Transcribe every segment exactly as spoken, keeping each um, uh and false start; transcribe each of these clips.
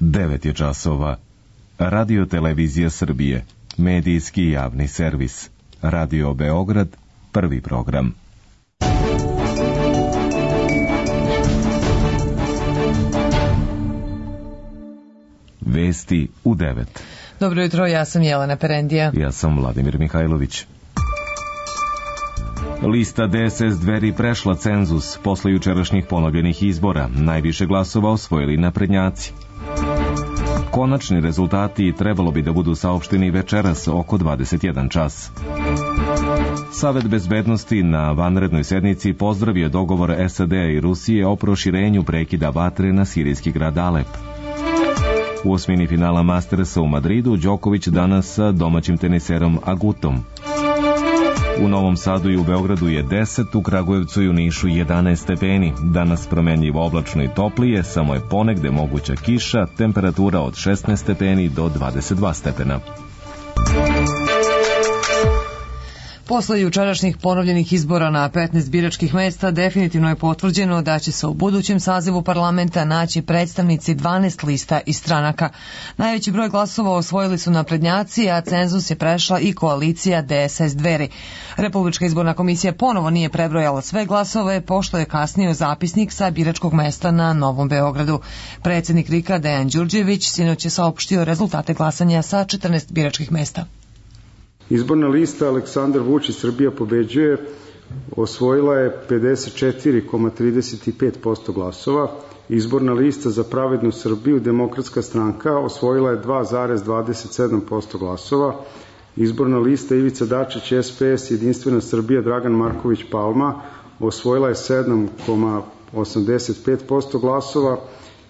devet je časova. Radio Televizija Srbije, medijski javni servis. Radio Beograd, prvi program. Vesti u devet. Dobro jutro, ja sam Jelena Perendija. Ja sam Vladimir Mihajlović. Lista D S S Dveri prešla cenzus posle jučerašnjih ponovljenih izbora. Najviše glasova osvojili naprednjaci. Konačni rezultati trebalo bi da budu saopšteni večeras oko dvadeset jedan čas. Savet bezbednosti na vanrednoj sednici pozdravio dogovor S A D-a i Rusije o proširenju prekida vatre na sirijski grad Alep. U osmini finala Mastersa u Madridu Đoković danas sa domaćim teniserom Agutom. U Novom Sadu i u Beogradu je deset, u Kragujevcu i u Nišu jedanaest stepeni. Danas promenljivo oblačno i toplije, samo je ponegde moguća kiša, temperatura od šesnaest stepeni do dvadeset dva stepena. Posle jučerašnjih ponovljenih izbora na petnaest biračkih mesta definitivno je potvrđeno da će se u budućem sazivu parlamenta naći predstavnici dvanaest lista i stranaka. Najveći broj glasova osvojili su naprednjaci, a cenzus je prešla i koalicija D S S Dveri. Republička izborna komisija ponovo nije prebrojala sve glasove, pošto je kasnio zapisnik sa biračkog mesta na Novom Beogradu. Predsednik R I K-a Dejan Đurđević sinoć je saopštio rezultate glasanja sa četrnaest biračkih mesta. Izborna lista Aleksandar Vučić Srbija pobeđuje osvojila je pedeset četiri zarez trideset pet posto glasova. Izborna lista za pravednu Srbiju Demokratska stranka osvojila je dva zarez dvadeset sedam posto glasova. Izborna lista Ivica Dačić S P S Jedinstvena Srbija Dragan Marković Palma osvojila je sedam zarez osamdeset pet posto glasova.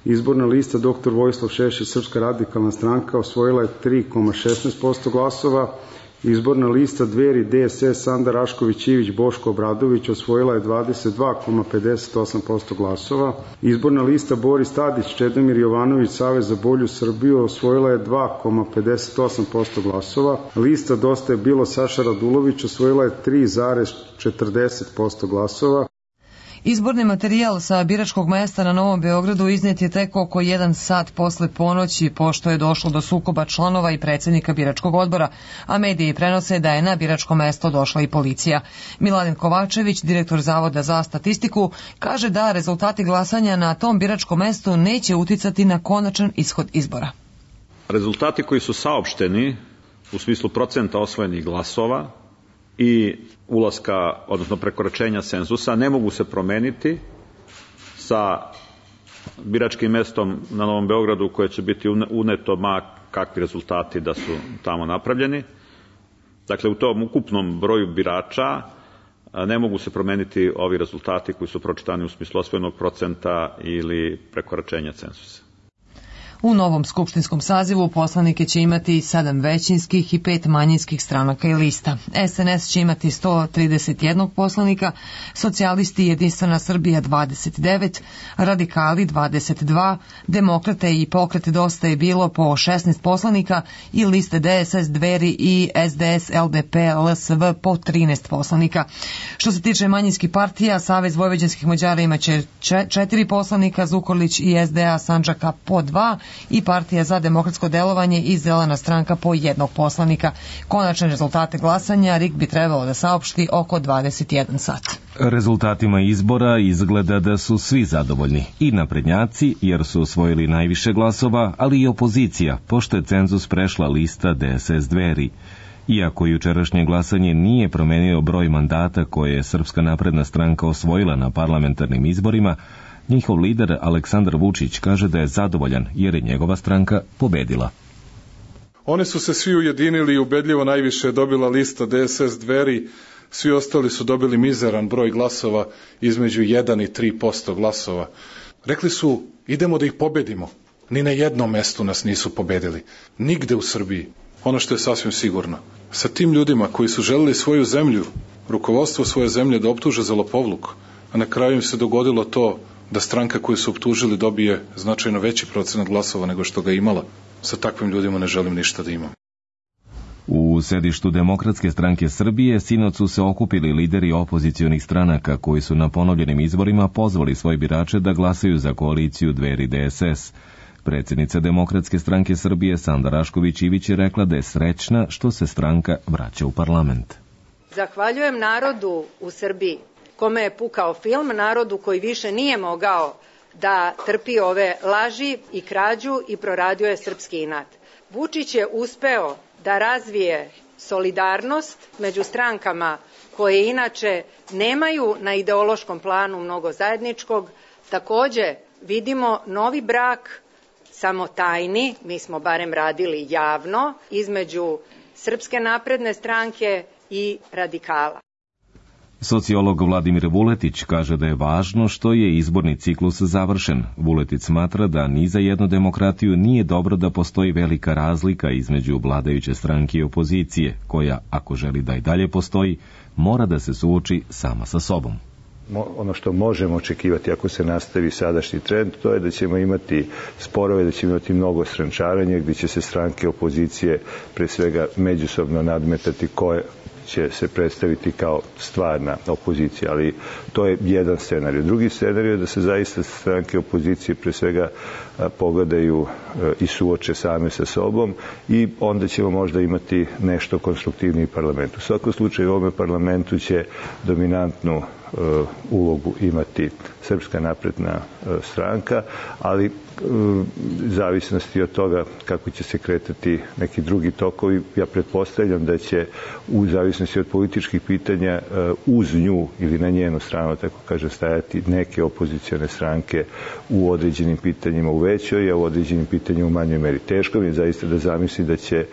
Izborna lista doktor Vojislav Šešelj Srpska radikalna stranka osvojila je tri zarez šesnaest posto glasova. Izborna lista Dveri D S S Sanda Rašković Ivić Boško Obradović osvojila je dvadeset dva zarez pedeset osam posto glasova. Izborna lista Boris Tadić Čedomir Jovanović Savez za bolju Srbiju osvojila je dva zarez pedeset osam posto glasova. Lista Dosta je bilo Saša Radulović osvojila je tri zarez četrdeset posto glasova. Izborni materijal sa biračkog mesta na Novom Beogradu iznet je tek oko jedan sat posle ponoći, pošto je došlo do sukoba članova i predsednika biračkog odbora, a mediji prenose da je na biračko mesto došla i policija. Miladin Kovačević, direktor Zavoda za statistiku, kaže da rezultati glasanja na tom biračkom mestu neće uticati na konačan ishod izbora. Rezultati koji su saopšteni u smislu procenta osvojenih glasova i ulaska, odnosno prekoračenja cenzusa, ne mogu se promeniti sa biračkim mestom na Novom Beogradu koje će biti uneto ma kakvi rezultati da su tamo napravljeni. Dakle, u tom ukupnom broju birača ne mogu se promeniti ovi rezultati koji su pročitani u smislu osvojenog procenta ili prekoračenja cenzusa. U novom skupštinskom sazivu poslanike će imati sedam većinskih i pet manjinskih stranaka i lista. S N S će imati sto trideset jedan poslanika, socijalisti Jedinstvena Srbija dvadeset devet, radikali dvadeset dva, demokrate i pokret Dosta je bilo po šesnaest poslanika i liste D S S Dveri i S D S L D P L S V po trinaest poslanika. Što se tiče manjinskih partija, Savez vojvođanskih Mađara imaće četiri poslanika, Zukorlić i S D A Sandžaka po dva, i Partija za demokratsko delovanje i Zelena stranka po jednog poslanika. Konačne rezultate glasanja R I K bi trebalo da saopšti oko dvadeset jedan sat. Rezultatima izbora izgleda da su svi zadovoljni, i naprednjaci jer su osvojili najviše glasova, ali i opozicija, pošto je cenzus prešla lista D S S Dveri. Iako jučerašnje glasanje nije promenio broj mandata koje je Srpska napredna stranka osvojila na parlamentarnim izborima, njihov lider Aleksandar Vučić kaže da je zadovoljan jer je njegova stranka pobedila. Oni su se svi ujedinili i ubedljivo najviše je dobila lista D S S Dveri, svi ostali su dobili mizeran broj glasova između jedan i tri posto glasova. Rekli su idemo da ih pobedimo. Ni na jednom mestu nas nisu pobedili. Nigde u Srbiji. Ono što je sasvim sigurno. Sa tim ljudima koji su želeli svoju zemlju, rukovodstvo svoje zemlje da optuže za lopovluk, a na kraju im se dogodilo to da stranka koju su optužili dobije značajno veći procenat glasova nego što ga imala. Sa takvim ljudima ne želim ništa da imam. U sedištu Demokratske stranke Srbije sinoć su se okupili lideri opozicionih stranaka koji su na ponovljenim izborima pozvali svoje birače da glasaju za koaliciju Dveri D S S. Predsjednica Demokratske stranke Srbije Sanda Rašković Ivić je rekla da je srećna što se stranka vraća u parlament. Zahvaljujem narodu u Srbiji, kome je pukao film, narodu koji više nije mogao da trpi ove laži i krađu i proradio je srpski inat. Vučić je uspeo da razvije solidarnost među strankama koje inače nemaju na ideološkom planu mnogo zajedničkog. Takođe vidimo novi brak, samo tajni, mi smo barem radili javno, između Srpske napredne stranke i radikala. Sociolog Vladimir Vuletić kaže da je važno što je izborni ciklus završen. Vuletić smatra da ni za jednu demokratiju nije dobro da postoji velika razlika između vladajuće stranke i opozicije, koja, ako želi da i dalje postoji, mora da se suoči sama sa sobom. Ono što možemo očekivati ako se nastavi sadašnji trend, to je da ćemo imati sporove, da ćemo imati mnogo strančaranja, gdje će se stranke opozicije pre svega međusobno nadmetati koje će se predstaviti kao stvarna opozicija, ali to je jedan scenarij. Drugi scenarij je da se zaista stranke opozicije pre svega pogledaju i suoče same sa sobom i onda ćemo možda imati nešto konstruktivniji parlament. U svakom slučaju u ovome parlamentu će dominantnu ulogu imati Srpska napredna stranka, ali zavisnosti od toga kako će se kretati neki drugi tokovi, ja pretpostavljam da će u zavisnosti od političkih pitanja uz nju ili na njenu stranu, tako kaže, stajati neke opozicione stranke u određenim pitanjima u većoj, a u određenim pitanjima u manjoj meri. Teško mi je zaista da zamisli da će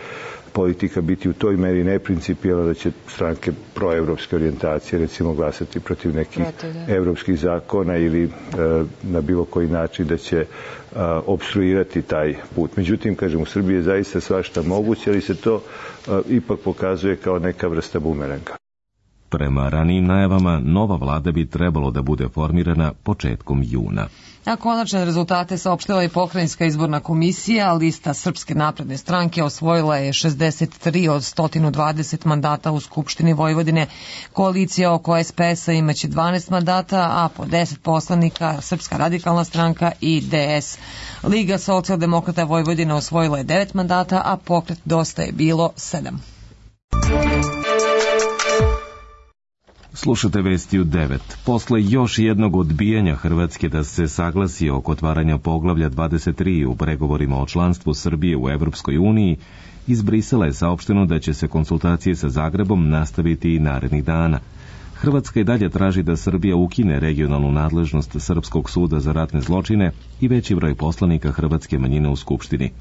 politika biti u toj meri neprincipijelna, da će stranke proevropske orijentacije recimo glasati protiv nekih evropskih zakona ili e, na bilo koji način da će a, obstruirati taj put. Međutim, kažem, u Srbiji je zaista svašta moguće, ali se to a, ipak pokazuje kao neka vrsta bumeranga. Prema ranijim najavama, nova vlada bi trebalo da bude formirana početkom juna. A konačne rezultate saopštila je Pokrajinska izborna komisija, a lista Srpske napredne stranke osvojila je šezdeset tri od sto dvadeset mandata u Skupštini Vojvodine. Koalicija oko S P S-a imaće dvanaest mandata, a po deset poslanika Srpska radikalna stranka i D S. Liga socijaldemokrata Vojvodine osvojila je devet mandata, a Pokret Dosta je bilo sedam. Slušate vesti u devet. Posle još jednog odbijanja Hrvatske da se saglasi oko otvaranja poglavlja dvadeset tri u pregovorima o članstvu Srbije u Evropskoj uniji, iz Brisela je saopšteno da će se konsultacije sa Zagrebom nastaviti i narednih dana. Hrvatska i dalje traži da Srbija ukine regionalnu nadležnost Srpskog suda za ratne zločine i veći broj poslanika hrvatske manjine u Skupštini.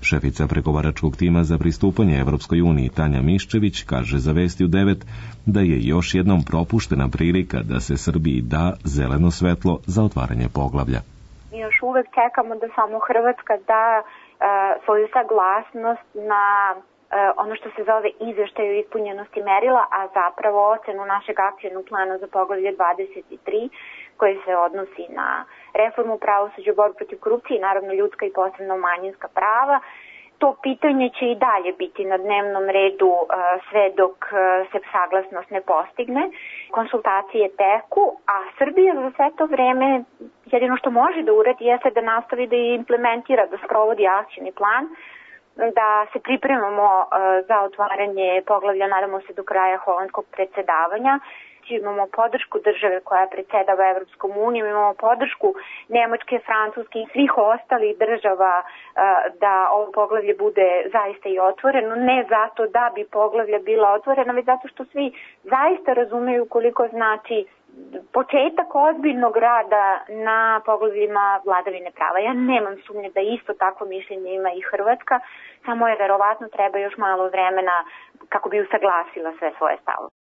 Šefica pregovaračkog tima za pristupanje Evropskoj uniji Tanja Miščević kaže za Vesti u devet da je još jednom propuštena prilika da se Srbiji da zeleno svetlo za otvaranje poglavlja. Mi još uvek čekamo da samo Hrvatska da e, svoju saglasnost na e, ono što se zove izveštaj o ispunjenosti merila, a zapravo ocenu našeg akcionog plana za poglavlje dvadeset tri, koji se odnosi na reformu pravosuđa, borbu protiv korupcije, naravno ljudska i posebno manjinska prava. To pitanje će i dalje biti na dnevnom redu uh, sve dok uh, se saglasnost ne postigne. Konsultacije teku, a Srbija za sve to vreme jedino što može da uradi jeste da nastavi da implementira, da sprovodi akcioni plan, da se pripremamo uh, za otvaranje poglavlja, nadamo se do kraja holandskog predsedavanja. Imamo podršku države koja predsedava Evropskom unijom, imamo podršku Nemačke, Francuske i svih ostalih država da ovo poglavlje bude zaista i otvoreno, ne zato da bi poglavlje bila otvorena, već zato što svi zaista razumeju koliko znači početak ozbiljnog rada na poglavljima vladavine prava. Ja nemam sumnje da isto takvo mišljenje ima i Hrvatska, samo je verovatno treba još malo vremena kako bi usaglasila sve svoje stavove.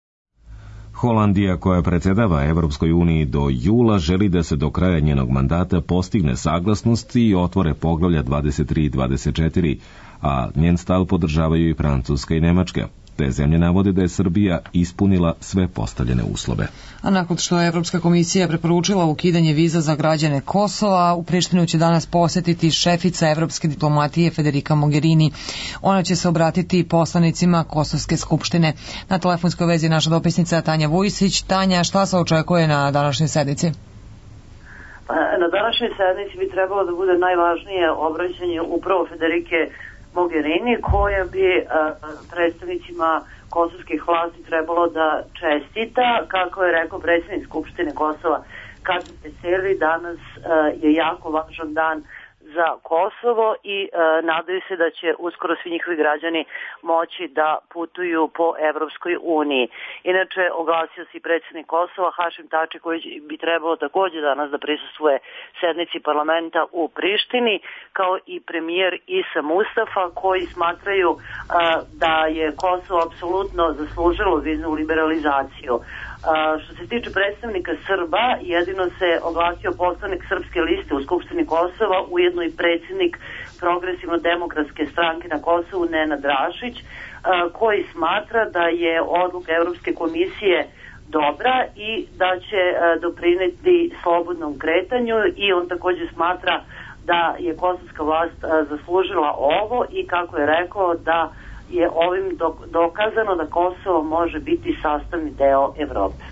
Holandija, koja predsedava Evropskoj uniji do jula, želi da se do kraja njenog mandata postigne saglasnost i otvore poglavlja dvadeset tri i dvadeset četiri, a njen stav podržavaju i Francuska i Nemačka. Te zemlje navode da je Srbija ispunila sve postavljene uslove. A nakon što je Evropska komisija preporučila ukidanje viza za građane Kosova, u Prištinu će danas posetiti šefica Evropske diplomatije Federica Mogherini. Ona će se obratiti poslanicima Kosovske skupštine. Na telefonskoj vezi je naša dopisnica Tanja Vujsić. Tanja, šta se očekuje na današnjoj sednici? Na današnjoj sednici bi trebalo da bude najvažnije obraćanje upravo Federike Mogherini, koja bi predstavnicima kosovskih vlasti trebalo da čestita. Kako je rekao predsjednik Skupštine Kosova Kačan Peseli, danas je jako važan dan za Kosovo i e, nadaju se da će uskoro svi njihovi građani moći da putuju po Evropskoj uniji. Inače, oglasio se i predsjednik Kosova Hašim Tači, koji bi trebalo takođe danas da prisustvuje sednici parlamenta u Prištini, kao i premijer Isa Mustafa, koji smatraju a, da je Kosovo apsolutno zaslužilo viznu liberalizaciju. A, što se tiče predstavnika Srba, jedino se oglasio poslanik Srpske liste u Skupštini Kosova, ujedno i predsjednik Progresivno-demokratske stranke na Kosovu Nenad Rašić, a, koji smatra da je odluka Evropske komisije dobra i da će a, doprineti slobodnom kretanju, i on takođe smatra da je kosovska vlast a, zaslužila ovo i, kako je rekao, da je ovim dokazano da Kosovo može biti sastavni deo Evrope.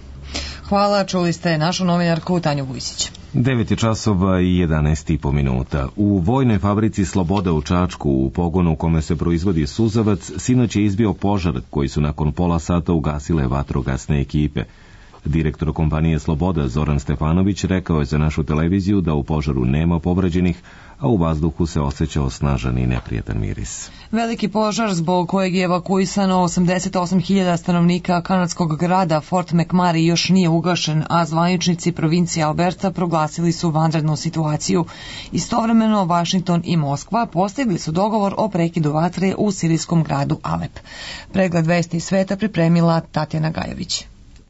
Hvala, čuli ste našu novinarku Tanju Vujsić. devet je časova i jedanaest i po minuta. U vojnoj fabrici Sloboda u Čačku, u pogonu u kome se proizvodi suzavac, sinoć je izbio požar koji su nakon pola sata ugasile vatrogasne ekipe. Direktor kompanije Sloboda Zoran Stefanović rekao je za našu televiziju da u požaru nema povređenih, a u vazduhu se osjećao snažan i neprijatan miris. Veliki požar zbog kojeg je evakuisano osamdeset osam hiljada stanovnika kanadskog grada Fort McMurray još nije ugašen, a zvaničnici provincije Alberta proglasili su vanrednu situaciju. Istovremeno Vašington i Moskva postigli su dogovor o prekidu vatre u sirijskom gradu Alep. Pregled vesti sveta pripremila Tatjana Gajović.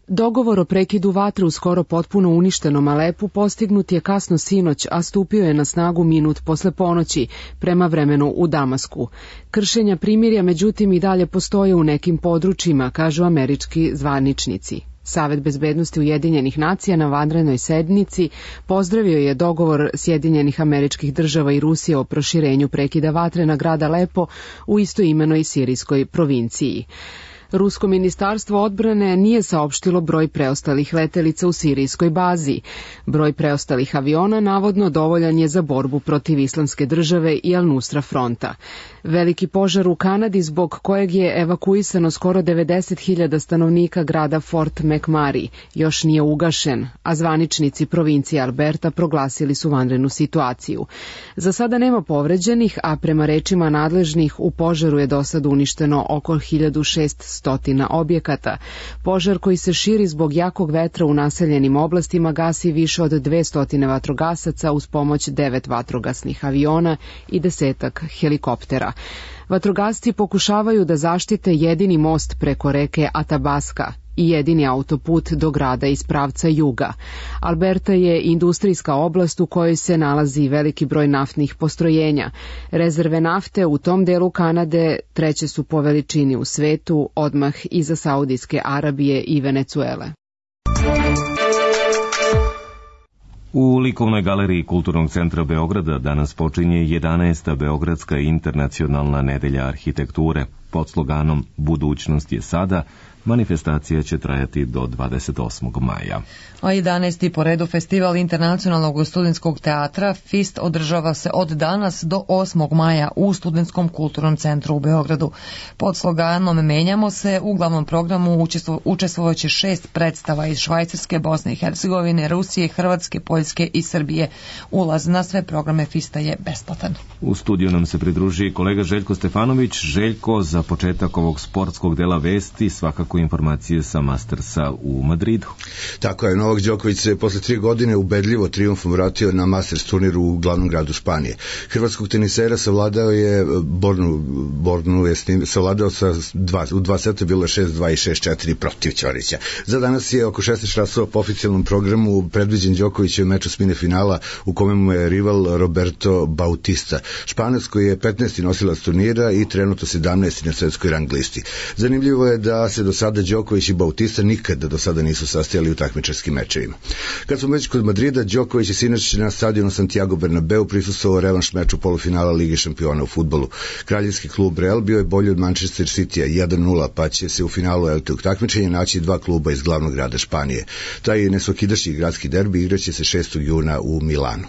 Dogovor o prekidu vatre u skoro potpuno uništenom Alepu postignut je kasno sinoć, a stupio je na snagu minut posle ponoći, prema vremenu u Damasku. Kršenja primirja međutim i dalje postoje u nekim područjima, kažu američki zvaničnici. Savet bezbednosti Ujedinjenih nacija na vanrednoj sednici pozdravio je dogovor Sjedinjenih Američkih Država i Rusije o proširenju prekida vatre na grad Alepo u istoimenoj sirijskoj provinciji. Rusko ministarstvo odbrane nije saopštilo broj preostalih letelica u sirijskoj bazi. Broj preostalih aviona navodno dovoljan je za borbu protiv Islamske države i Al-Nusra fronta. Veliki požar u Kanadi, zbog kojeg je evakuisano skoro devedeset hiljada stanovnika grada Fort McMurray, još nije ugašen, a zvaničnici provincije Alberta proglasili su vanrednu situaciju. Za sada nema povređenih, a prema rečima nadležnih u požaru je do sad uništeno oko hiljadu šessto objekata. Požar koji se širi zbog jakog vetra u naseljenim oblastima gasi više od dvesta vatrogasaca uz pomoć devet vatrogasnih aviona i desetak helikoptera. Vatrogasci pokušavaju da zaštite jedini most preko reke Atabaska i jedini autoput do grada iz pravca juga. Alberta je industrijska oblast u kojoj se nalazi veliki broj naftnih postrojenja. Rezerve nafte u tom delu Kanade treće su po veličini u svetu, odmah iza Saudijske Arabije i Venecuele. U likovnoj galeriji Kulturnog centra Beograda danas počinje jedanaesta Beogradska internacionalna nedelja arhitekture. Pod sloganom Budućnost je sada, manifestacija će trajati do dvadeset osmog maja. A jedanaesti po redu festival Internacionalnog studentskog teatra FIST održava se od danas do osmog maja u Studentskom kulturnom centru u Beogradu. Pod sloganom Menjamo se u glavnom programu učestvovaće šest predstava iz Švajcarske, Bosne i Hercegovine, Rusije, Hrvatske, Poljske i Srbije. Ulaz na sve programe FISTA je besplatan. U studiju nam se pridruži kolega Željko Stefanović. Željko, za početak ovog sportskog dela vesti svakako informacije sa Mastersa u Madridu. Tako je, Novak Đoković se posle tri godine ubedljivo trijumfom vratio na Masters turniru u glavnom gradu Španije. Hrvatskog tenisera savladao je Bornu, Bornu je savladao sa dva, u dva seta bilo je šest dva i šest četiri protiv Ćorića. Za danas je oko šesnaest časova po oficijalnom programu predviđen Đokovićev meč osmine finala u kome mu je rival Roberto Bautista. Španac koji je petnaesti nosilac turnira i trenutno sedamnaesti na svetskoj rang listi. Zanimljivo je da se do sada Đoković i Bautista nikada do sada nisu sastajali u takmičarskim mečevima. Kad smo već kod Madrida, Đoković je sinoć na stadionu Santiago Bernabeu prisustvovao revanš meču polufinala Lige šampiona u fudbalu. Kraljevski klub Real bio je bolji od Manchester Citya jedan nula, pa će se u finalu tog takmičenja naći dva kluba iz glavnog grada Španije. Taj nesvakidašnji gradski derbi igraće se šestog juna u Milanu.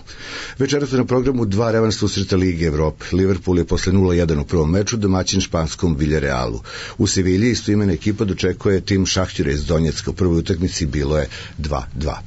Večeras na programu dva revanš susreta Lige Evrope. Liverpool je posle nula jedan u prvom meču domaćin španskom Villarealu. U Sevilji istoimena ekipa dočekuje tim Šahtjura iz Donjecka. U prvoj utakmici bilo je dva dva.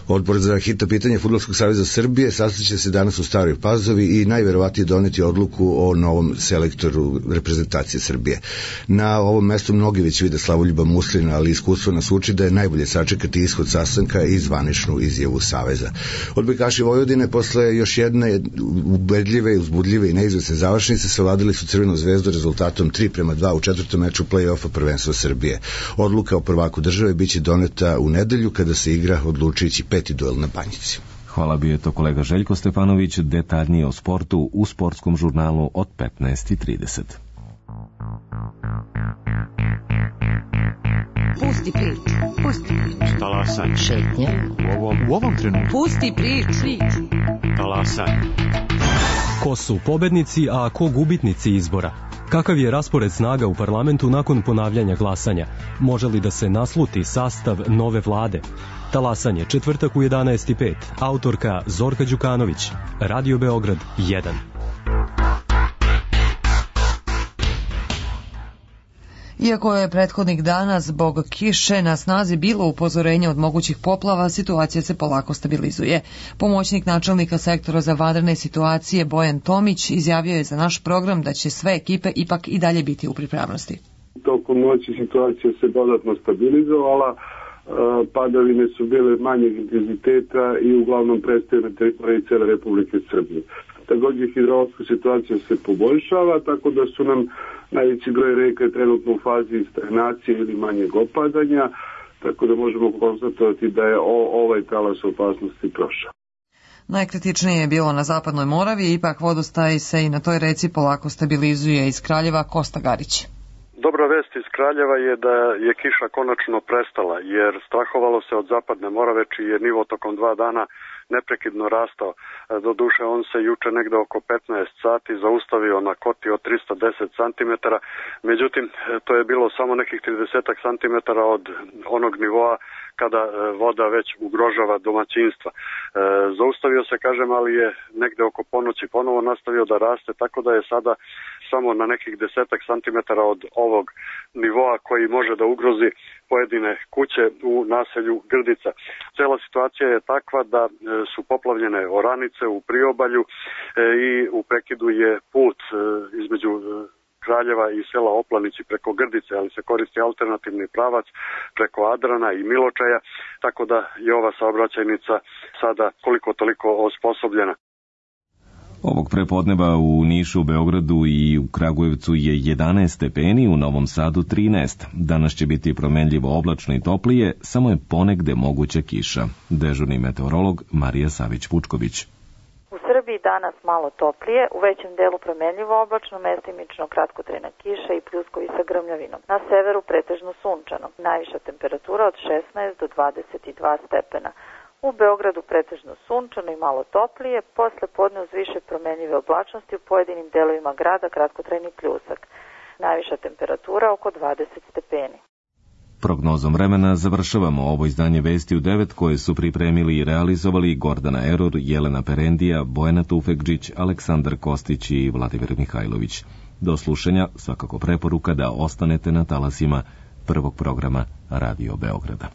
Odbor za hitna pitanja Fudbalskog saveza Srbije sastaće se danas u Staroj Pazovi i najverovatnije doneti odluku o novom selektoru reprezentacije Srbije. Na ovom mestu mnogi već vide Slavoljuba Muslina, ali iskustvo nas uči da je najbolje sačekati ishod sastanka i zvaničnu izjavu Saveza. Odbojkaši Vojvodine posle još jedne ubedljive, uzbudljive i neizvesne završnice savladali su Crvenu zvezdu rezultatom tri prema dva u četvrtom meču play-offa prvenstva Srbije. Odluka o prvaku države biće doneta u nedelju kada se igra odlučujući peti duel na Banjici. Hvala, bio je to kolega Željko Stefanović. Detaljnije o sportu u sportskom žurnalu od petnaest i trideset. Pusti priču, pusti priču. Talasaj. Šetnje. U ovom, u ovom trenutku. Pusti priču. Talasaj. Ko su pobednici, a ko gubitnici izbora? Kakav je raspored snaga u parlamentu nakon ponavljanja glasanja? Može li da se nasluti sastav nove vlade? Talasanje, četvrtak u jedanaest i pet. Autorka Zorka Đukanović. Radio Beograd jedan. Iako je prethodnih dana zbog kiše na snazi bilo upozorenje od mogućih poplava, situacija se polako stabilizuje. Pomoćnik načelnika sektora za vanredne situacije Bojan Tomić izjavio je za naš program da će sve ekipe ipak i dalje biti u pripravnosti. Tokom noći situacija se dodatno stabilizovala, padavine su bile manjeg intenziteta i uglavnom prestaju na teritoriji cele Republike Srbije. Također hidrološka situacija se poboljšava, tako da su nam najveći broj reka je trenutno u fazi stagnacije ili manjeg opadanja, tako da možemo konstatovati da je o, ovaj talas opasnosti prošao. Najkritičnije je bilo na zapadnoj Moravi, ipak vodostaj se i na toj reci polako stabilizuje. Iz Kraljeva Kosta Garić. Dobra vest iz Kraljeva je da je kiša konačno prestala, jer strahovalo se od zapadne Morave, čiji je nivo tokom dva dana neprekidno rastao. Doduše, on se juče negde oko petnaest sati zaustavio na koti od trista deset centimetara, međutim, to je bilo samo nekih trideset centimetara od onog nivoa kada voda već ugrožava domaćinstva. E, zaustavio se, kažem, ali je negde oko ponoći ponovo nastavio da raste, tako da je sada samo na nekih desetak centimetara od ovog nivoa koji može da ugrozi pojedine kuće u naselju Grdica. Cela situacija je takva da e, su poplavljene oranice u priobalju e, i u prekidu je put e, između e, Kraljeva i sela Oplanići preko Grdice, ali se koristi alternativni pravac preko Adrana i Miločaja, tako da je ova saobraćajnica sada koliko toliko osposobljena. Ovog prepodneva u Nišu, Beogradu i u Kragujevcu je jedanaest stepeni, u Novom Sadu trinaest. Danas će biti promenljivo oblačno i toplije, samo je ponegde moguća kiša. Dežurni meteorolog Marija Savić-Pučković. U Srbiji danas malo toplije, u većem delu promenljivo oblačno, mestimično kratkotrajna kiša i pljuskovi sa grmljavinom. Na severu pretežno sunčano, najviša temperatura od šesnaest do dvadeset dva stepena. U Beogradu pretežno sunčano i malo toplije, posle podne uz više promenljive oblačnosti u pojedinim delovima grada kratkotrajni pljusak. Najviša temperatura oko dvadeset stepeni. Prognozom vremena završavamo ovo izdanje Vesti u devet koje su pripremili i realizovali Gordana Eror, Jelena Perendija, Bojana Tufekđić, Aleksandar Kostić i Vladimir Mihajlović. Do slušanja, svakako preporuka da ostanete na talasima prvog programa Radio Beograda.